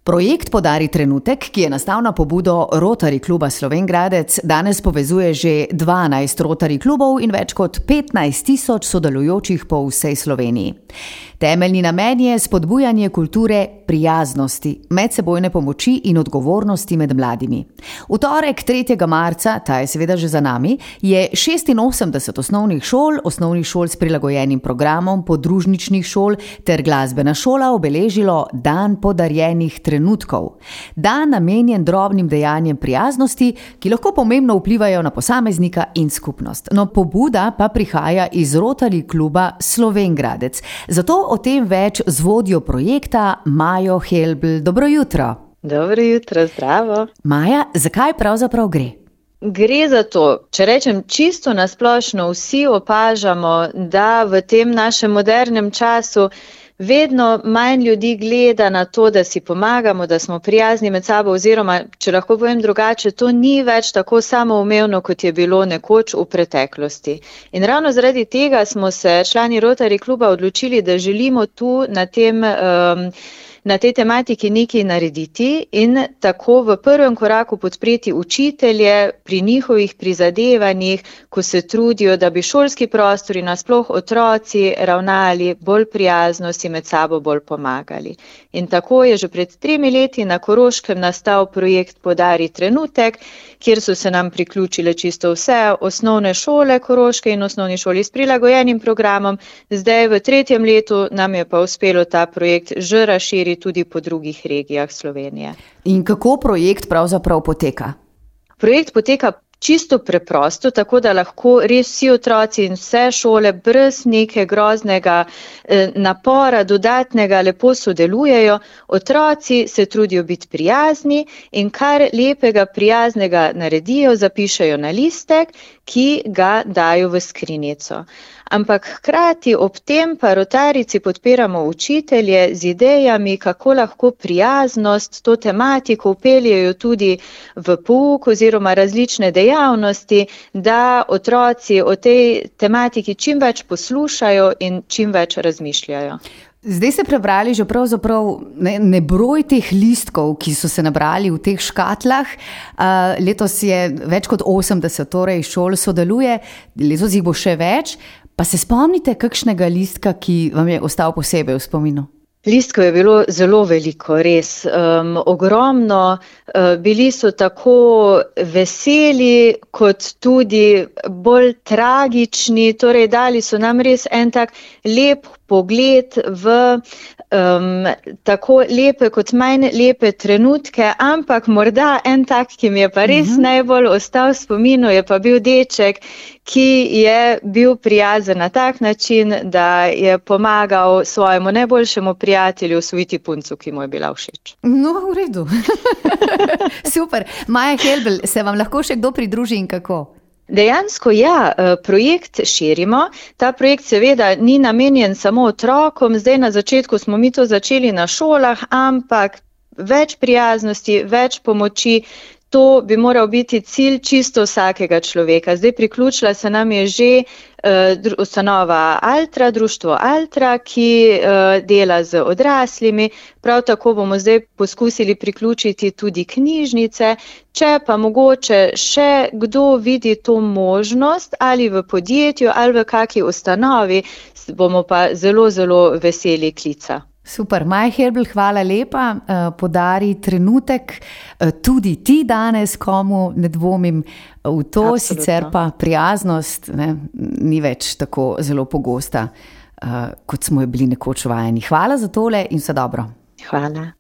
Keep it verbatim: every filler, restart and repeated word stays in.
Projekt Podari trenutek, ki je nastal na pobudo Rotary kluba Slovenj Gradec, danes povezuje že dvanajst Rotary klubov in več kot petnajst tisoč sodelujočih po vsej Sloveniji. Temeljni namen je spodbujanje kulture prijaznosti, medsebojne pomoči in odgovornosti med mladimi. V torek, tretjega marca, ta je seveda že za nami, je šestinosemdeset osnovnih šol, osnovnih šol s prilagojenim programom, podružničnih šol ter glasbena šola obeležilo Dan podarjenih trenutkov. Dan namenjen drobnim dejanjem prijaznosti, ki lahko pomembno vplivajo na posameznika in skupnost. No, pobuda pa prihaja iz Rotary kluba Slovenj Gradec. Zato o tem več z vodjo projekta Majo Helbl. Dobro jutro. Dobro jutro, zdravo. Maja, zakaj pravzaprav gre? Gre za to, če rečem čisto nasplošno, vsi opažamo, da v tem našem modernem času vedno manj ljudi gleda na to, da si pomagamo, da smo prijazni med sabo, oziroma, če lahko povem drugače, to ni več tako samoumevno, kot je bilo nekoč v preteklosti. In ravno zaradi tega smo se člani Rotary kluba odločili, da želimo tu na tem um, na tej tematiki nekaj narediti in tako v prvem koraku podpreti učitelje pri njihovih prizadevanjih, ko se trudijo, da bi šolski prostori, nasploh otroci, ravnali bolj prijazno, si med sabo bolj pomagali. In tako je že pred tremi leti na Koroškem nastal projekt Podari trenutek, kjer so se nam priključile čisto vse osnovne šole Koroške in osnovni šoli s prilagojenim programom. Zdaj v tretjem letu nam je pa uspelo ta projekt že razširiti tudi po drugih regijah Slovenije. In kako projekt pravzaprav poteka? Projekt poteka čisto preprosto, tako da lahko res vsi otroci in vse šole brez neke groznega eh, napora, dodatnega lepo sodelujejo. Otroci se trudijo biti prijazni in kar lepega prijaznega naredijo, zapišejo na listek, ki ga dajo v skrinjico. Ampak hkrati ob tem pa rotarijci podpiramo učitelje z idejami, kako lahko prijaznost, to tematiko vpeljejo tudi v pouk oziroma različne dejavnosti, da otroci o tej tematiki čim več poslušajo in čim več razmišljajo. Zdaj ste prebrali že pravzaprav ne, ne broj teh listkov, ki so se nabrali v teh škatlah. Uh, letos je več kot osemdeset torej šol sodeluje, letos jih bo še več. Pa se spomnite kakšnega listka, ki vam je ostal posebej v spominu? Listkov je bilo zelo veliko, res. Um, ogromno. Uh, bili so tako veseli, kot tudi bolj tragični. Torej, dali so nam res en tak lep pogled v um, tako lepe kot manj lepe trenutke, ampak morda en tak, ki mi je pa res uh-huh. najbolj ostal v spominu, je pa bil deček, ki je bil prijazen na tak način, da je pomagal svojemu najboljšemu prijatelju osvojiti puncu, ki mu je bila všeč. No, v redu. Super. Maja Helbl, se vam lahko še kdo pridruži in kako? Dejansko ja, projekt širimo. Ta projekt seveda ni namenjen samo otrokom. Zdaj na začetku smo mi to začeli na šolah, ampak več prijaznosti, več pomoči, to bi moral biti cilj čisto vsakega človeka. Zdaj priključila se nam je že uh, ustanova Altra, društvo Altra, ki uh, dela z odraslimi. Prav tako bomo zdaj poskusili priključiti tudi knjižnice. Če pa mogoče še kdo vidi to možnost ali v podjetju ali v kakšni ustanovi, bomo pa zelo, zelo veseli klica. Super, Maja Helbl, hvala lepa. Podari trenutek tudi ti danes, komu ne dvomim v to. Absolutno. Sicer pa prijaznost ne, ni več tako zelo pogosta, kot smo jo bili nekoč vajeni. Hvala za tole in vse dobro. Hvala.